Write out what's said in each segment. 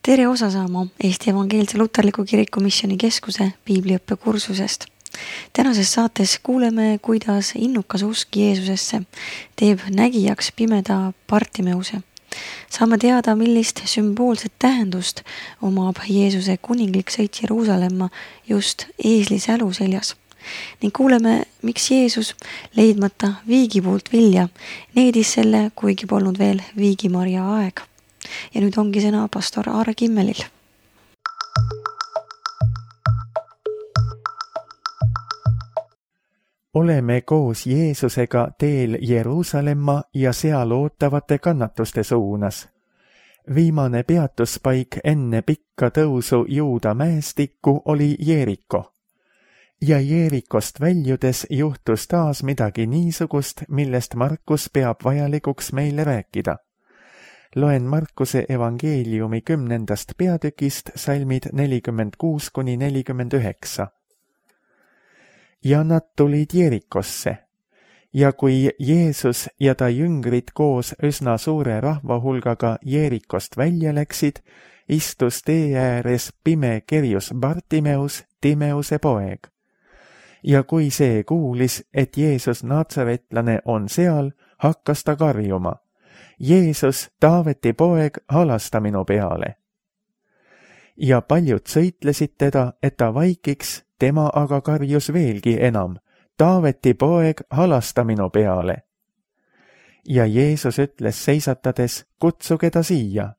Tere osa saama Eesti Evangeelse Luterliku Kiriku Missiooni Keskuse piibliõppekursusest. Tänases saates kuuleme, kuidas innukas usk Jeesusesse teeb nägijaks pimeda Bartimeuse. Saame teada, millist sümboolset tähendust omab Jeesuse kuninglik sõit Jeruusalemma just eesli sälu seljas. Ning kuuleme, miks Jeesus, leidmata viigipuult vilja, needis selle, kuigi polnud veel viigimarja aeg. Ja nüüd ongi sõna pastor Aare Kimmelil. Oleme koos Jeesusega teel Jeruusalemma ja seal ootavate kannatuste suunas. Viimane peatuspaik enne pikka tõusu Juuda mäestikku oli Jeeriko. Ja Jeerikost väljudes juhtus taas midagi niisugust, millest Markus peab vajalikuks meile rääkida. Loen Markuse evangeeliumi 10. peatükist salmid 46-49. Ja nad tulid Jeerikosse. Ja kui Jeesus ja ta jüngrid koos üsna suure rahvahulgaga Jeerikost välja läksid, istus tee ääres pime kerjus Bartimeus, Timeuse poeg. Ja kui see kuulis, et Jeesus Naatsaretlane on seal, hakkas ta karjuma. Jeesus, Taaveti poeg, halasta minu peale. Ja paljud sõitlesid teda, et ta vaikiks, tema aga karjus veelgi enam. Taaveti poeg, halasta minu peale. Ja Jeesus ütles seisatades, kutsuge ta siia.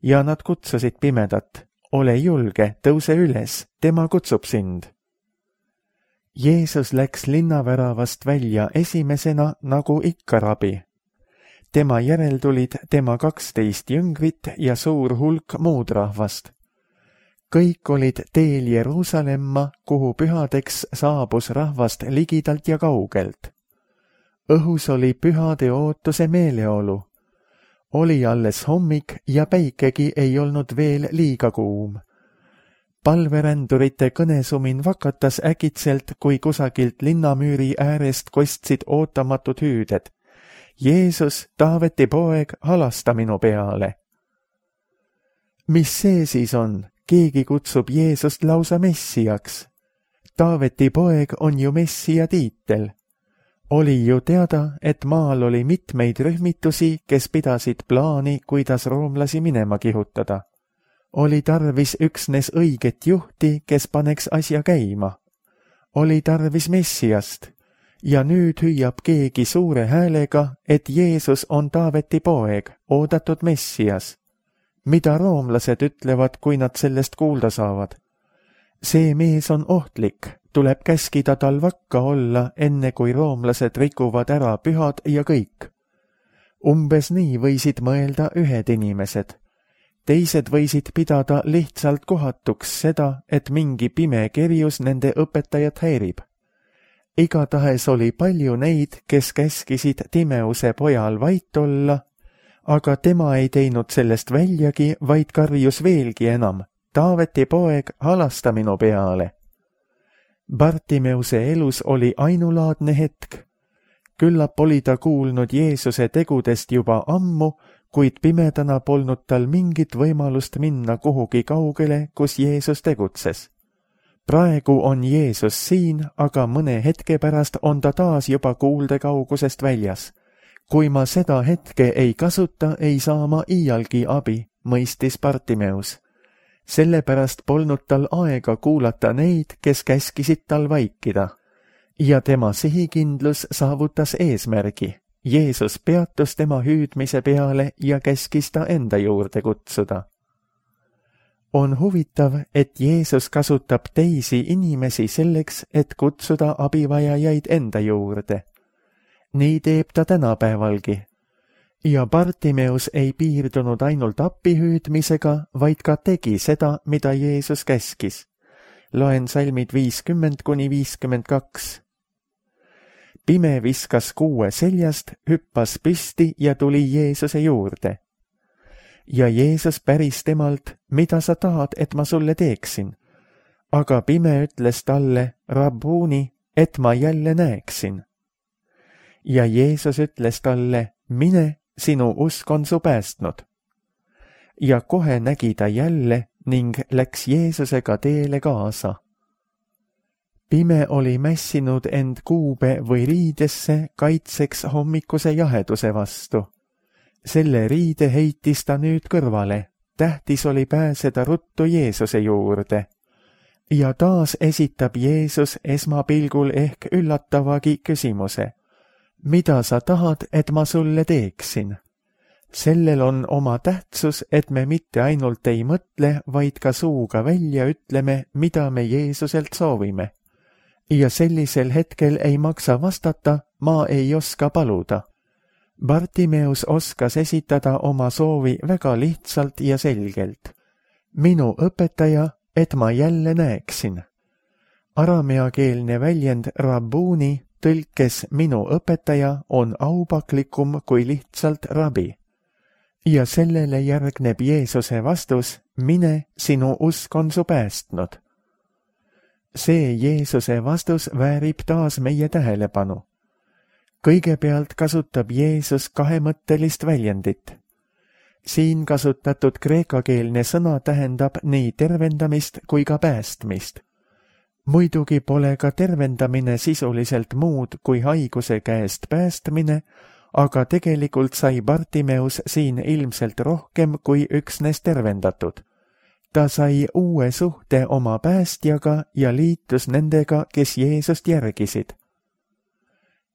Ja nad kutsusid pimedat, ole julge, tõuse üles, tema kutsub sind. Jeesus läks linnaväravast välja esimesena, nagu ikka rabi. Tema järel tulid tema 12 jüngrit ja suur hulk muud rahvast. Kõik olid teel Jeruusalemma, kuhu pühadeks saabus rahvast ligidalt ja kaugelt. Õhus oli pühade ootuse meeleolu. Oli alles hommik ja päikegi ei olnud veel liiga kuum. Palverändurite kõnesumin vakatas äkitselt, kui kusagilt linnamüüri äärest kostsid ootamatud hüüded. Jeesus, Taaveti poeg, halasta minu peale. Mis see siis on? Keegi kutsub Jeesust lausa messiaks. Taaveti poeg on ju messia tiitel. Oli ju teada, et maal oli mitmeid rühmitusi, kes pidasid plaani, kuidas roomlasi minema kihutada. Oli tarvis üksnes õiget juhti, kes paneks asja käima. Oli tarvis messiast. Ja nüüd hüüab keegi suure häälega, et Jeesus on Taaveti poeg, oodatud messias. Mida roomlased ütlevad, kui nad sellest kuulda saavad? See mees on ohtlik, tuleb käskida tal vakka olla, enne kui roomlased rikuvad ära pühad ja kõik. Umbes nii võisid mõelda ühed inimesed. Teised võisid pidada lihtsalt kohatuks seda, et mingi pime kerjus nende õpetajat häirib. Igatahes oli palju neid, kes käskisid Timeuse pojal vait olla, aga tema ei teinud sellest väljagi, vaid karjus veelgi enam. Taaveti poeg, halasta minu peale. Bartimeuse elus oli ainulaadne hetk. Küllap oli ta kuulnud Jeesuse tegudest juba ammu, kuid pimedana polnud tal mingit võimalust minna kuhugi kaugele, kus Jeesus tegutses. Praegu on Jeesus siin, aga mõne hetke pärast on ta taas juba kuulde kaugusest väljas. Kui ma seda hetke ei kasuta, ei saa ma iialgi abi, mõistis Bartimeus. Sellepärast polnud tal aega kuulata neid, kes käskisid tal vaikida. Ja tema sihikindlus saavutas eesmärgi. Jeesus peatus tema hüüdmise peale ja käskis ta enda juurde kutsuda. On huvitav, et Jeesus kasutab teisi inimesi selleks, et kutsuda abivajajaid enda juurde. Nii teeb ta tänapäevalgi. Ja Bartimeus ei piirdunud ainult appihüüdmisega, vaid ka tegi seda, mida Jeesus käskis. Loen salmid 50-52. Pime viskas kuue seljast, hüppas püsti ja tuli Jeesuse juurde. Ja Jeesus päris temalt, mida sa tahad, et ma sulle teeksin? Aga pime ütles talle, Rabbuuni, et ma jälle näeksin. Ja Jeesus ütles talle, mine, sinu usk on su päästnud. ja kohe nägi ta jälle ning läks Jeesusega teele kaasa. Pime oli mässinud end kuube või riidesse kaitseks hommikuse jaheduse vastu. Selle riide heitis ta nüüd kõrvale, tähtis oli pääseda ruttu Jeesuse juurde. Ja taas esitab Jeesus esmapilgul ehk üllatavagi küsimuse. Mida sa tahad, et ma sulle teeksin? Sellel on oma tähtsus, et me mitte ainult ei mõtle, vaid ka suuga välja ütleme, mida me Jeesuselt soovime. Ja sellisel hetkel ei maksa vastata, ma ei oska paluda. Bartimeus oskas esitada oma soovi väga lihtsalt ja selgelt. Minu õpetaja, et ma jälle näeksin. Arameakeelne väljend rabbuni tõlkes minu õpetaja on aupaklikum kui lihtsalt rabi. Ja sellele järgneb Jeesuse vastus, mine, sinu usk on su päästnud. See Jeesuse vastus väärib taas meie tähelepanu. Kõigepealt kasutab Jeesus kahemõttelist väljendit. Siin kasutatud kreekakeelne sõna tähendab nii tervendamist kui ka päästmist. Muidugi pole ka tervendamine sisuliselt muud kui haiguse käest päästmine, aga tegelikult sai Bartimeus siin ilmselt rohkem kui üksnes tervendatud. Ta sai uue suhte oma päästjaga ja liitus nendega, kes Jeesust järgisid.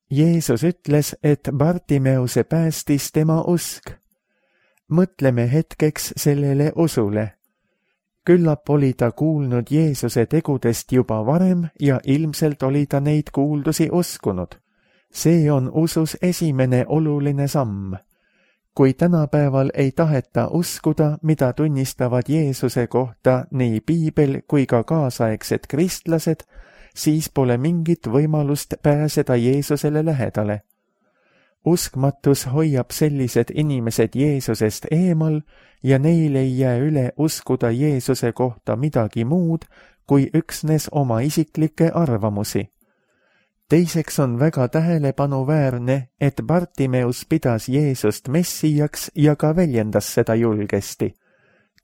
Jeesus ütles, et Bartimeuse päästis tema usk. Mõtleme hetkeks sellele usule. Küllap oli ta kuulnud Jeesuse tegudest juba varem ja ilmselt oli ta neid kuuldusi uskunud. See on usus esimene oluline samm. Kui tänapäeval ei taheta uskuda, mida tunnistavad Jeesuse kohta nii piibel kui ka kaasaegsed kristlased, siis pole mingit võimalust pääseda Jeesusele lähedale. Uskmatus hoiab sellised inimesed Jeesusest eemal ja neil ei jää üle uskuda Jeesuse kohta midagi muud kui üksnes oma isiklikke arvamusi. Teiseks on väga tähelepanuväärne, et Bartimeus pidas Jeesust messijaks ja ka väljendas seda julgesti.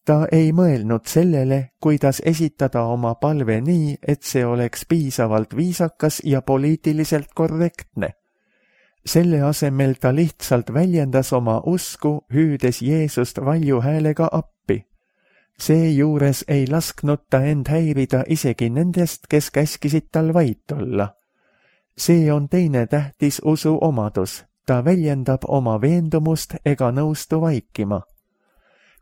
Ta ei mõelnud sellele, kuidas esitada oma palve nii, et see oleks piisavalt viisakas ja poliitiliselt korrektne. Selle asemel ta lihtsalt väljendas oma usku, hüüdes Jeesust valju häälega appi. Seejuures ei lasknud ta end häirida isegi nendest, kes käskisid tal vait olla. See on teine tähtis usu omadus. Ta väljendab oma veendumust ega nõustu vaikima.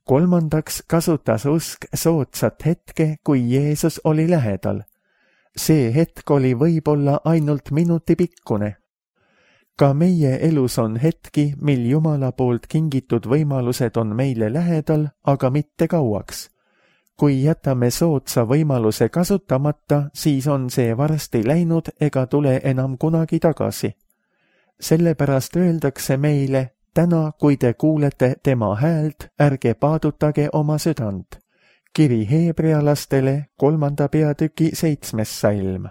Kolmandaks kasutas usk soodsat hetke, kui Jeesus oli lähedal. See hetk oli võib-olla ainult minuti pikkune. Ka meie elus on hetki, mil Jumala poolt kingitud võimalused on meile lähedal, aga mitte kauaks. Kui jätame soodsa võimaluse kasutamata, siis on see varsti läinud ega tule enam kunagi tagasi. Sellepärast öeldakse meile, täna, kui te kuulete tema häält, ärge paadutage oma südant. Kiri Heebrealastele 3. peatüki 7. salm.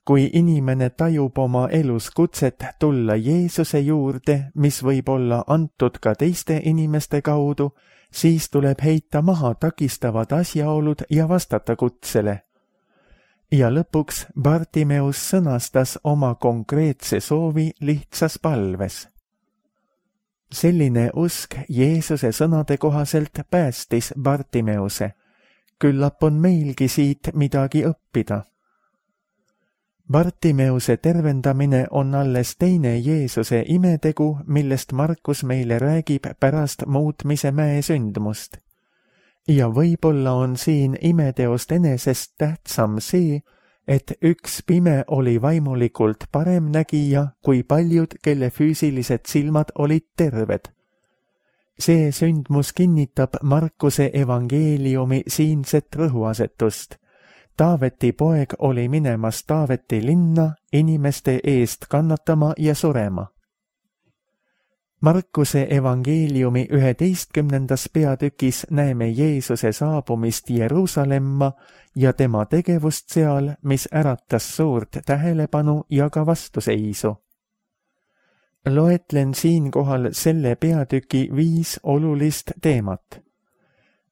Kui inimene tajub oma elus kutset tulla Jeesuse juurde, mis võib olla antud ka teiste inimeste kaudu, siis tuleb heita maha takistavad asjaolud ja vastata kutsele. Ja lõpuks Bartimeus sõnastas oma konkreetse soovi lihtsas palves. Selline usk Jeesuse sõnade kohaselt päästis Bartimeuse. Küllap on meilgi siit midagi õppida. Bartimeuse tervendamine on alles teine Jeesuse imetegu, millest Markus meile räägib pärast muutmise mäe sündmust. Ja võib-olla on siin imeteost enesest tähtsam see, et üks pime oli vaimulikult parem nägija kui paljud, kelle füüsilised silmad olid terved. See sündmus kinnitab Markuse evangeeliumi siinset rõhuasetust. Taaveti poeg oli minemas Taaveti linna inimeste eest kannatama ja surema. Markuse evangeeliumi 11. peatükis näeme Jeesuse saabumist Jeruusalemma ja tema tegevust seal, mis äratas suurt tähelepanu ja ka vastuseisu. Loetlen siinkohal selle peatüki 5 olulist teemat.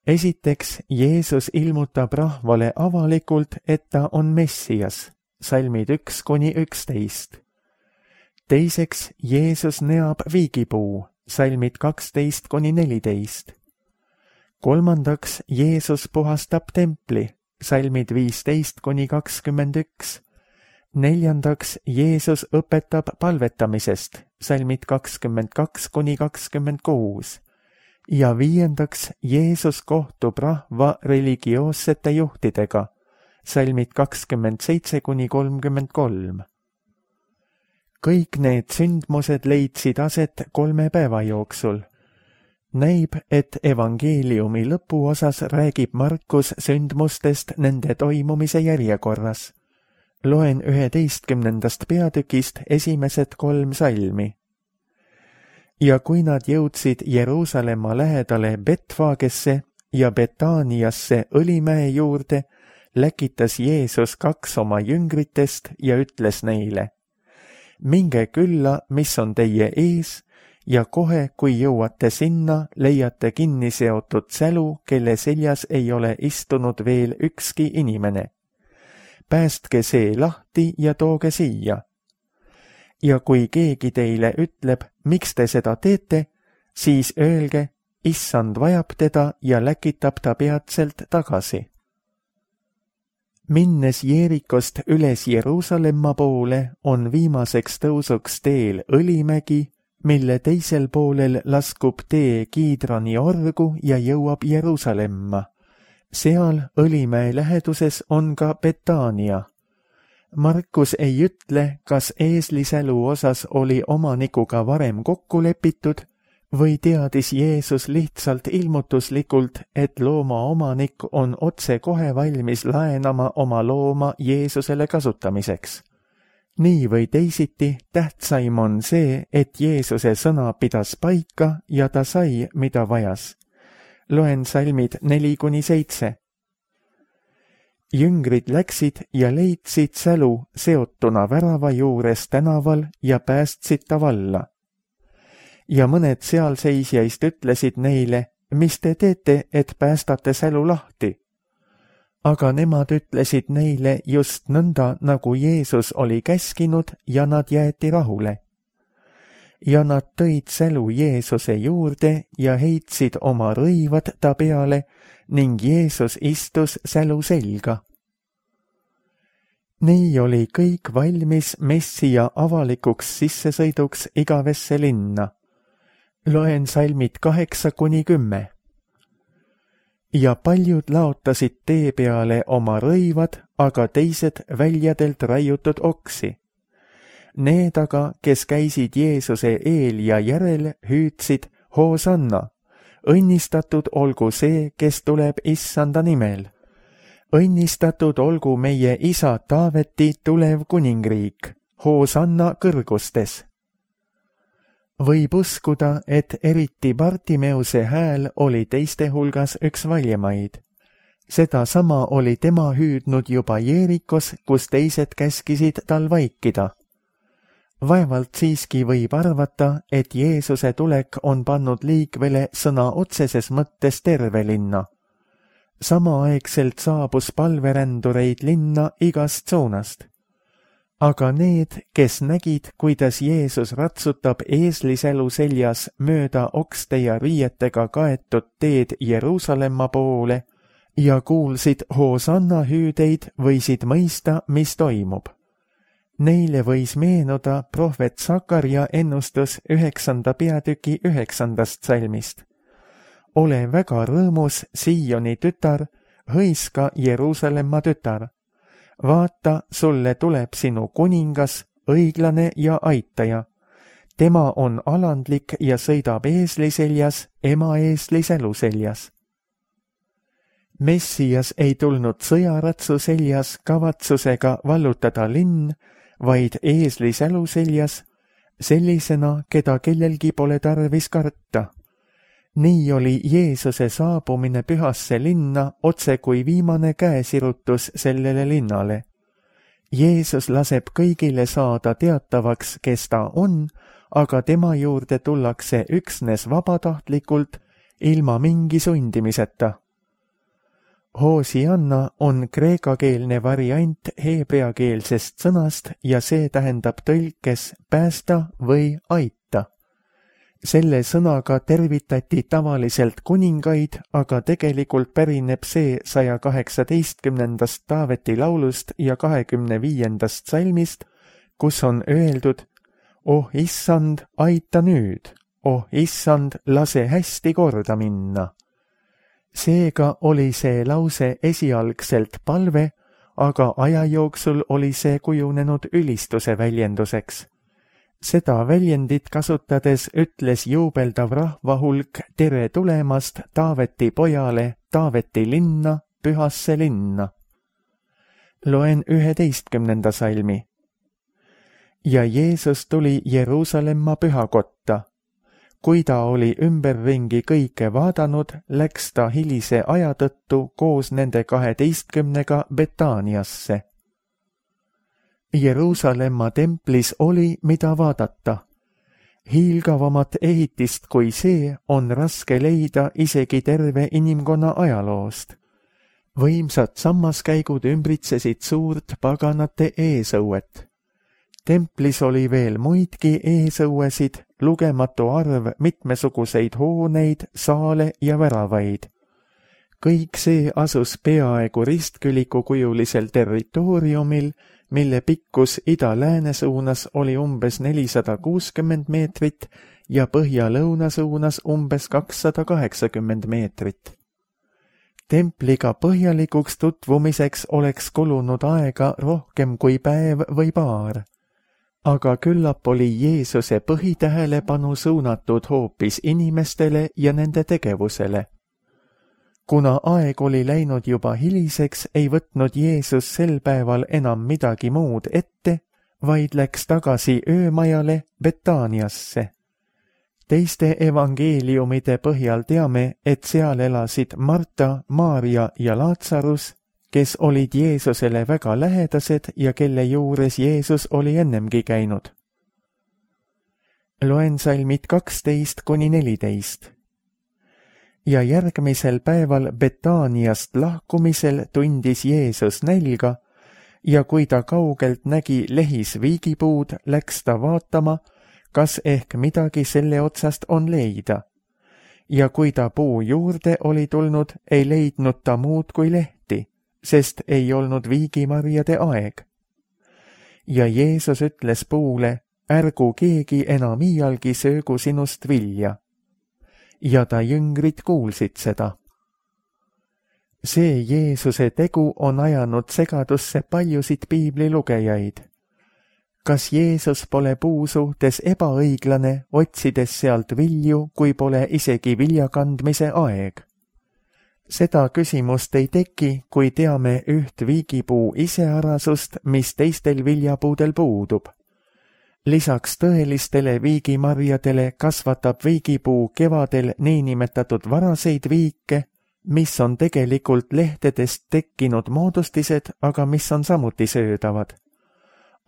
esiteks, Jeesus ilmutab rahvale avalikult, et ta on Messias, salmid 1–11. Teiseks, Jeesus neab viigipuu, salmid 12–14. Kolmandaks, Jeesus puhastab templi, salmid 15–21. Neljandaks, Jeesus õpetab palvetamisest, salmid 22–26. Ja viiendaks, Jeesus kohtub rahva religioossete juhtidega, salmid 27–33. Kõik need sündmused leidsid aset 3 päeva jooksul. Näib, et evangeeliumi lõpuosas räägib Markus sündmustest nende toimumise järjekorras. Loen 11. peatükist esimesed 3 salmi. Ja kui nad jõudsid Jeruusalemma lähedale Betfagesse ja Betaaniasse Õlimäe juurde, läkitas Jeesus 2 oma jüngritest ja ütles neile: minge külla, mis on teie ees, ja kohe, kui jõuate sinna, leiate kinni seotud sälu, kelle seljas ei ole istunud veel ükski inimene. Päästke see lahti ja tooge siia. Ja kui keegi teile ütleb, miks te seda teete, siis öelge, issand vajab teda ja läkitab ta peatselt tagasi. Minnes Jeerikost üles Jeruusalemma poole, on viimaseks tõusuks teel Õlimägi, mille teisel poolel laskub tee Kiidrani orgu ja jõuab Jeruusalemma. Seal Õlimäe läheduses on ka Betaania. Markus ei ütle, kas eeslisälu osas oli omanikuga varem kokku lepitud või teadis Jeesus lihtsalt ilmutuslikult, et looma omanik on otsekohe valmis laenama oma looma Jeesusele kasutamiseks. Nii või teisiti, tähtsaim on see, et Jeesuse sõna pidas paika ja ta sai, mida vajas. Loen salmid 4–7. Jüngrid läksid ja leidsid sälu seotuna värava juures tänaval ja päästsid ta valla. Ja mõned sealseisjaist ütlesid neile, mis te teete, et päästate sälu lahti? Aga nemad ütlesid neile just nõnda, nagu Jeesus oli käskinud, ja nad jäeti rahule. Ja nad tõid sälu Jeesuse juurde ja heitsid oma rõivad ta peale ning Jeesus istus sälu selga. Nii oli kõik valmis Messia avalikuks sissesõiduks igavesse linna. Loen salmid 8–10. Ja paljud laotasid tee peale oma rõivad, aga teised väljadelt raiutud oksi. Need aga, kes käisid Jeesuse eel ja järel, hüüdsid Hoosanna, õnnistatud olgu see, kes tuleb issanda nimel. Õnnistatud olgu meie isa Taaveti tulev kuningriik, Hoosanna kõrgustes. Võib uskuda, et eriti Bartimeuse hääl oli teiste hulgas üks valjemaid. Sedasama oli tema hüüdnud juba Jeerikos, kus teised käskisid tal vaikida. Vaevalt siiski võib arvata, et Jeesuse tulek on pannud liikvele sõna otseses mõttes terve linna. Samaaegselt saabus palverändureid linna igast suunast. Aga need, kes nägid, kuidas Jeesus ratsutab eeslisälu seljas mööda okste ja riietega kaetud teed Jeruusalemma poole ja kuulsid Hoosanna hüüdeid, võisid mõista, mis toimub. Neile võis meenuda prohvet Sakarja ennustus 9. peatüki 9. salmist. Ole väga rõõmus, Sioni tütar, hõiska Jeruusalemma tütar. Vaata, sulle tuleb sinu kuningas, õiglane ja aitaja. Tema on alandlik ja sõidab eesli seljas, ema eesli sälu seljas. Messias ei tulnud sõjaratsu seljas kavatsusega vallutada linn, vaid eesli sälu seljas, sellisena, keda kellelgi pole tarvis karta. Nii oli Jeesuse saabumine pühasse linna otse kui viimane käesirutus sellele linnale. Jeesus laseb kõigile saada teatavaks, kes ta on, aga tema juurde tullakse üksnes vabatahtlikult, ilma mingi sundimiseta. Hosianna on kreekakeelne variant heebreakeelsest sõnast ja see tähendab tõlkes päästa või aita. Selle sõnaga tervitati tavaliselt kuningaid, aga tegelikult pärineb see 118. Taaveti laulust ja 25. salmist, kus on öeldud: "Oh issand, aita nüüd, oh issand, lase hästi korda minna." Seega oli see lause esialgselt palve, aga aja jooksul oli see kujunenud ülistuse väljenduseks. Seda väljendit kasutades ütles juubeldav rahvahulk tere tulemast Taaveti pojale Taaveti linna, pühasse linna. Loen 11. salmi. Ja Jeesus tuli Jeruusalemma pühakotta. Kui ta oli ümberringi kõike vaadanud, läks ta hilise aja tõttu koos nende 12 Betaaniasse. Jeruusalemma templis oli, mida vaadata. Hiilgavamat ehitist kui see on raske leida isegi terve inimkonna ajaloost. Võimsad sammaskäigud ümbritsesid suurt paganate eesõuet. Templis oli veel muidki eesõuesid, lugematu arv mitmesuguseid hooneid, saale ja väravaid. Kõik see asus peaaegu ristkülikukujulisel territooriumil, mille pikkus ida-lääne suunas oli umbes 460 meetrit ja põhja-lõuna suunas umbes 280 meetrit. Templiga põhjalikuks tutvumiseks oleks kulunud aega rohkem kui päev või paar, aga küllap oli Jeesuse põhitähelepanu suunatud hoopis inimestele ja nende tegevusele. Kuna aeg oli läinud juba hiliseks, ei võtnud Jeesus sel päeval enam midagi muud ette, vaid läks tagasi öömajale Betaaniasse. Teiste evangeeliumide põhjal teame, et seal elasid Marta, Maarja ja Laatsarus, kes olid Jeesusele väga lähedased ja kelle juures Jeesus oli ennemgi käinud. Loen salmid 12–14. Ja järgmisel päeval Betaaniast lahkumisel tundis Jeesus nälga ja kui ta kaugelt nägi lehis viigipuud, läks ta vaatama, kas ehk midagi selle otsast on leida. Ja kui ta puu juurde oli tulnud, ei leidnud ta muud kui lehti, sest ei olnud viigimarjade aeg. Ja Jeesus ütles puule: ärgu keegi enam iialgi söögu sinust vilja. Ja ta jüngrid kuulsid seda. See Jeesuse tegu on ajanud segadusse paljusid piiblilugejaid. Kas Jeesus pole puu suhtes ebaõiglane, otsides sealt vilju, kui pole isegi viljakandmise aeg? Seda küsimust ei teki, kui teame üht viigipuu iseärasust, mis teistel viljapuudel puudub. Lisaks tõelistele viigimarjadele kasvatab viigipuu kevadel niinimetatud varaseid viike, mis on tegelikult lehtedest tekkinud moodustised, aga mis on samuti söödavad.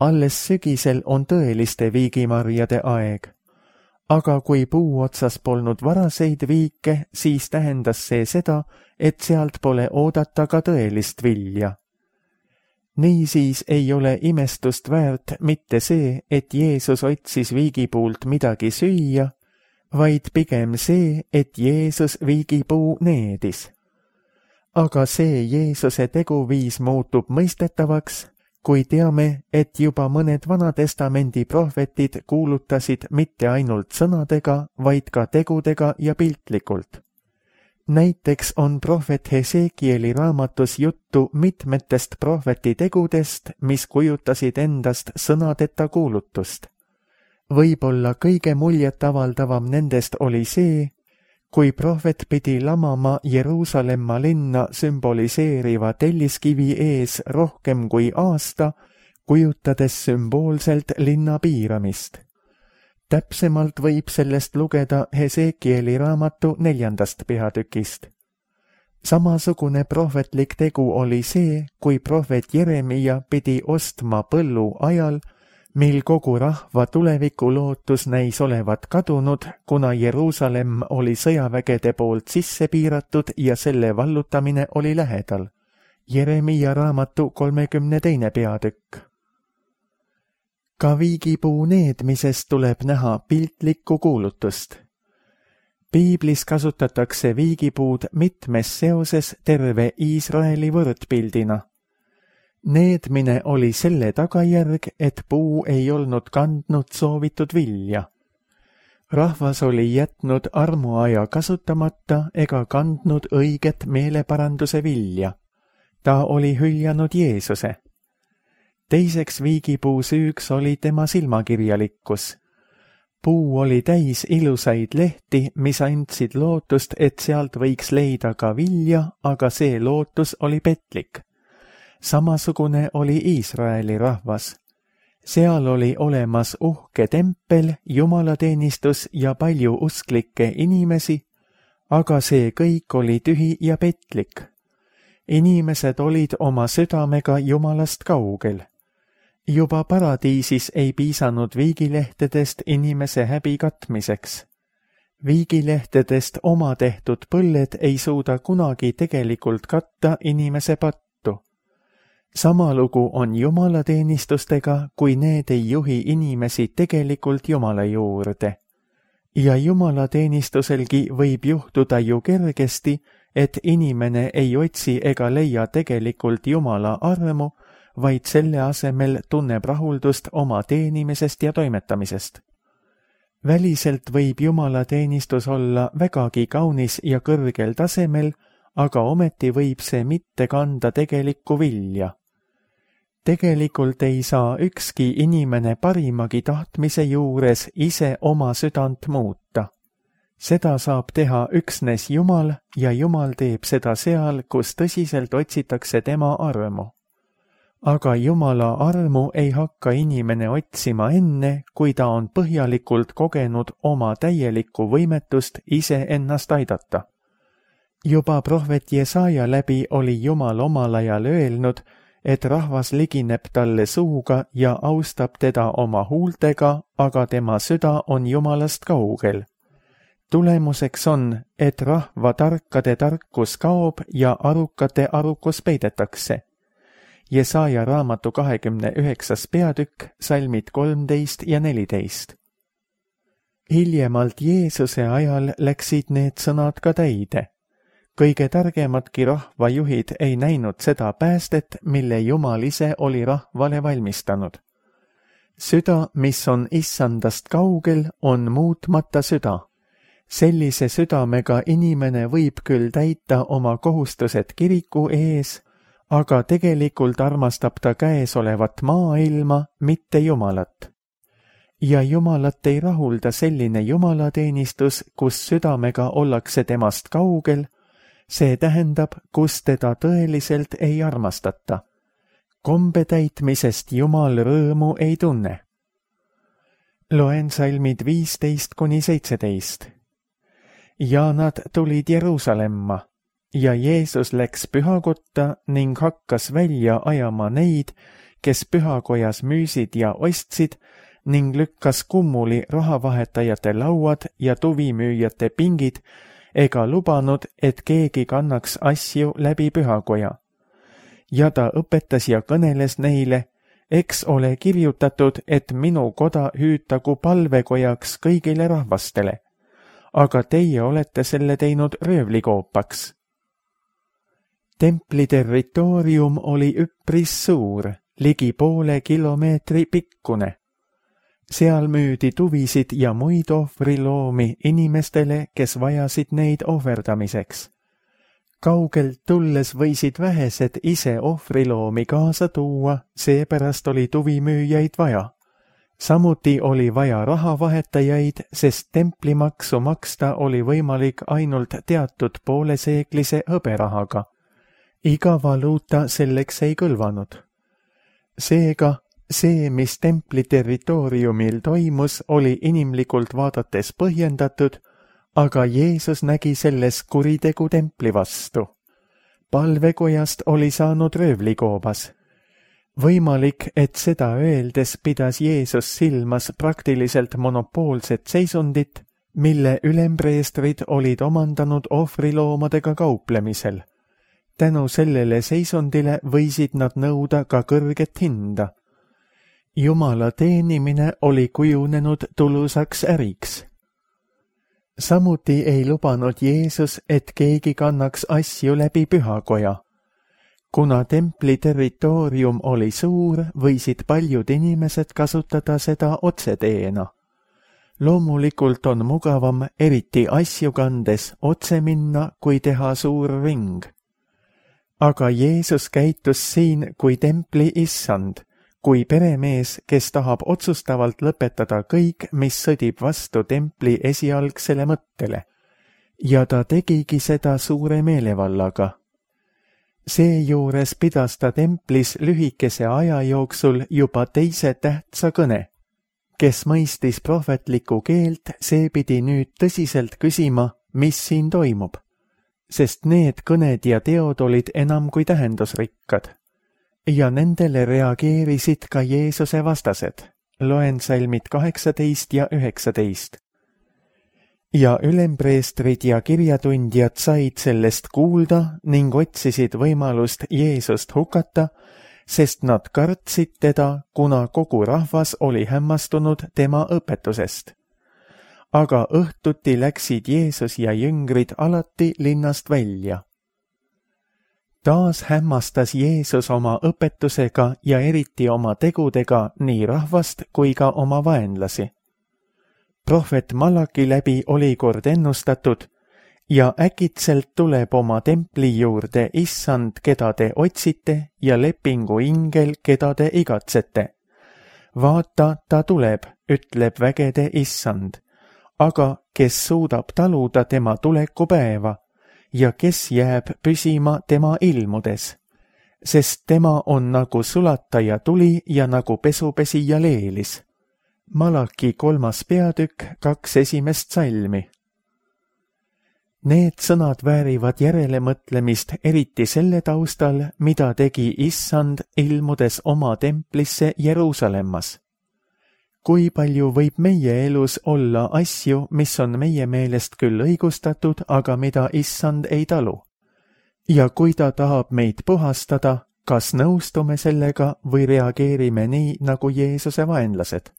Alles sügisel on tõeliste viigimarjade aeg. Aga kui puu otsas polnud varaseid viike, siis tähendas see seda, et sealt pole oodata ka tõelist vilja. Niisiis ei ole imestust väärt mitte see, et Jeesus otsis viigipuult midagi süüa, vaid pigem see, et Jeesus viigipuu needis. Aga see Jeesuse teguviis muutub mõistetavaks, kui teame, et juba mõned Vanatestamendi prohvetid kuulutasid mitte ainult sõnadega, vaid ka tegudega ja piltlikult. Näiteks on prohvet Hesekieli raamatus juttu mitmetest prohveti tegudest, mis kujutasid endast sõnadeta kuulutust. Võib-olla kõige muljetavaldavam nendest oli see, kui prohvet pidi lamama Jeruusalemma linna sümboliseeriva telliskivi ees rohkem kui aasta, kujutades sümboolselt linna piiramist. Täpsemalt võib sellest lugeda Hesekieli raamatu 4. peatükist. Samasugune prohvetlik tegu oli see, kui prohvet Jeremia pidi ostma põllu ajal, mil kogu rahva tulevikulootus näis olevat kadunud, kuna Jeruusalemm oli sõjavägede poolt sisse piiratud ja selle vallutamine oli lähedal. Jeremiia raamatu 32. peatükk. Ka viigipuu needmisest tuleb näha piltlikku kuulutust. Piiblis kasutatakse viigipuud mitmes seoses terve Iisraeli võrdpildina. Needmine oli selle tagajärg, et puu ei olnud kandnud soovitud vilja. Rahvas oli jätnud armuaja kasutamata ega kandnud õiget meeleparanduse vilja. Ta oli hüljanud Jeesuse. Teiseks viigipuu süüks oli tema silmakirjalikkus. Puu oli täis ilusaid lehti, mis andsid lootust, et sealt võiks leida ka vilja, aga see lootus oli petlik. Samasugune oli Iisraeli rahvas. Seal oli olemas uhke tempel, jumalateenistus ja palju usklikke inimesi, aga see kõik oli tühi ja petlik. Inimesed olid oma südamega Jumalast kaugel. Juba paradiisis ei piisanud viigilehtedest inimese häbi katmiseks. Viigilehtedest oma tehtud põlled ei suuda kunagi tegelikult katta inimese pattu. Sama lugu on jumalateenistustega, kui need ei juhi inimesi tegelikult Jumala juurde. Ja jumalateenistuselgi võib juhtuda ju kergesti, et inimene ei otsi ega leia tegelikult Jumala armu, vaid selle asemel tunneb rahuldust oma teenimisest ja toimetamisest. Väliselt võib jumalateenistus olla vägagi kaunis ja kõrgel tasemel, aga ometi võib see mitte kanda tegelikku vilja. Tegelikult ei saa ükski inimene parimagi tahtmise juures ise oma südant muuta. Seda saab teha üksnes Jumal ja Jumal teeb seda seal, kus tõsiselt otsitakse tema armu. Aga Jumala armu ei hakka inimene otsima enne, kui ta on põhjalikult kogenud oma täielikku võimetust ise ennast aidata. Juba prohvet Jesaja läbi oli Jumal omal ajal öelnud, et rahvas ligineb talle suuga ja austab teda oma huultega, aga tema süda on Jumalast kaugel. Tulemuseks on, et rahva tarkade tarkus kaob ja arukate arukus peidetakse. Jesaja raamatu 29. peatükk, salmid 13 ja 14. Hiljemalt Jeesuse ajal läksid need sõnad ka täide. Kõige targemadki rahvajuhid ei näinud seda päästet, mille Jumal ise oli rahvale valmistanud. Süda, mis on issandast kaugel, on muutmata süda. Sellise südamega inimene võib küll täita oma kohustused kiriku ees, aga tegelikult armastab ta käesolevat maailma, mitte Jumalat. Ja Jumalat ei rahulda selline jumalateenistus, kus südamega ollakse temast kaugel, see tähendab, kus teda tõeliselt ei armastata. Kombe täitmisest Jumal rõõmu ei tunne. Loen salmid 15–17. Ja nad tulid Jeruusalemma, ja Jeesus läks pühakotta ning hakkas välja ajama neid, kes pühakojas müüsid ja ostsid, ning lükkas kummuli rahavahetajate lauad ja tuvimüüjate pingid, ega lubanud, et keegi kannaks asju läbi pühakoja. Ja ta õpetas ja kõneles neile, eks ole kirjutatud, et minu koda hüütagu palvekojaks kõigile rahvastele, aga teie olete selle teinud röövlikoopaks. Templi territoorium oli üpris suur, ligi poole kilomeetri pikkune. Seal müüdi tuvisid ja muid ohvriloomi inimestele, kes vajasid neid ohverdamiseks. Kaugelt tulles võisid vähesed ise ohvriloomi kaasa tuua, seepärast oli tuvimüüjaid vaja. Samuti oli vaja rahavahetajaid, sest templimaksu maksta oli võimalik ainult teatud pooleseeklise hõberahaga. Iga valuuta selleks ei kõlvanud. Seega, see, mis templi territooriumil toimus, oli inimlikult vaadates põhjendatud, aga Jeesus nägi selles kuritegu templi vastu. Palvekojast oli saanud röövlikoobas. Võimalik, et seda öeldes pidas Jeesus silmas praktiliselt monopoolset seisundit, mille ülempreestrid olid omandanud ohvriloomadega kauplemisel. Tänu sellele seisundile võisid nad nõuda ka kõrget hinda. Jumala teenimine oli kujunenud tulusaks äriks. Samuti ei lubanud Jeesus, et keegi kannaks asju läbi pühakoja. Kuna templi territoorium oli suur, võisid paljud inimesed kasutada seda otseteena. Loomulikult on mugavam eriti asju kandes otse minna, kui teha suur ring. Aga Jeesus käitus siin kui templi issand, kui peremees, kes tahab otsustavalt lõpetada kõik, mis sõdib vastu templi esialgsele mõttele. Ja ta tegigi seda suure meelevallaga. Seejuures pidas ta templis lühikese aja jooksul juba teise tähtsa kõne. Kes mõistis prohvetlikku keelt, see pidi nüüd tõsiselt küsima, mis siin toimub, sest need kõned ja teod olid enam kui tähendusrikkad. Ja nendele reageerisid ka Jeesuse vastased. Loen salmid 18 ja 19. Ja ülempreestrid ja kirjatundjad said sellest kuulda ning otsisid võimalust Jeesust hukata, sest nad kartsid teda, kuna kogu rahvas oli hämmastunud tema õpetusest. Aga õhtuti läksid Jeesus ja jüngrid alati linnast välja. Taas hämmastas Jeesus oma õpetusega ja eriti oma tegudega nii rahvast kui ka oma vaenlasi. Prohvet Malaki läbi oli kord ennustatud ja äkitselt tuleb oma templi juurde issand, keda te otsite, ja lepingu ingel, keda te igatsete. Vaata, ta tuleb, ütleb vägede issand, aga kes suudab taluda tema tulekupäeva ja kes jääb püsima tema ilmudes, sest tema on nagu sulataja tuli ja nagu pesupesija leelis. Malaki 3. peatükk 2 esimest salmi. Need sõnad väärivad järelemõtlemist eriti selle taustal, mida tegi issand ilmudes oma templisse Jeruusalemmas. Kui palju võib meie elus olla asju, mis on meie meelest küll õigustatud, aga mida issand ei talu? Ja kui ta tahab meid puhastada, kas nõustume sellega või reageerime nii, nagu Jeesuse vaenlased?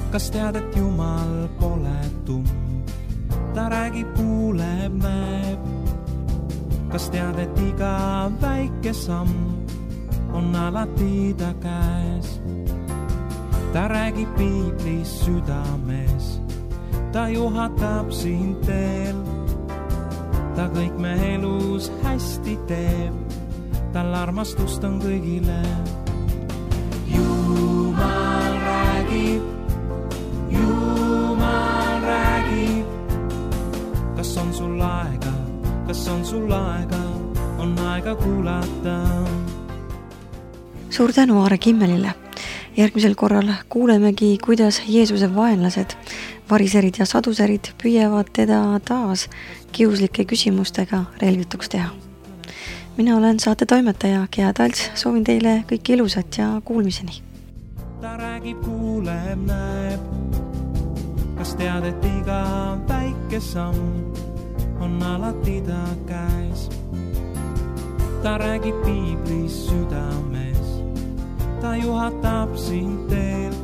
Kas tead, et Jumal pole tumm, ta räägib, kuuleb, näeb. Kas tead, et iga väike samm on alati ta käes? Ta räägib piiblis südames, ta juhatab sind teel. Ta kõik me elus hästi teeb, tal armastust on kõigile. Jumal räägib, Jumal räägib. Kas on sul aega, kas on sul aega, on aega kuulata. Suur tänu Aare Kimmelile. Järgmisel korral kuulemegi, kuidas Jeesuse vaenlased, variserid ja saduserid püüavad teda taas kiuslike küsimustega relvituks teha. Mina olen saate toimetaja Gea Talts, soovin teile kõike ilusat ja kuulmiseni. Ta räägib, kuuleb, näeb. Kas tead, et iga väike samm on alati ta käes? Ta räägib piiblis südames, ta juhatab sind teel.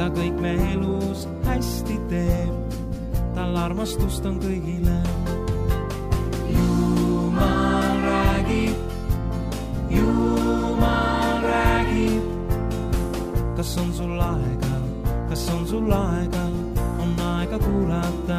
Ta kõik me elus hästi teeb, tal armastust on kõigile. Jumal räägib, Jumal räägib. Kas on sul aega, kas on sul aega, on aega kuulata.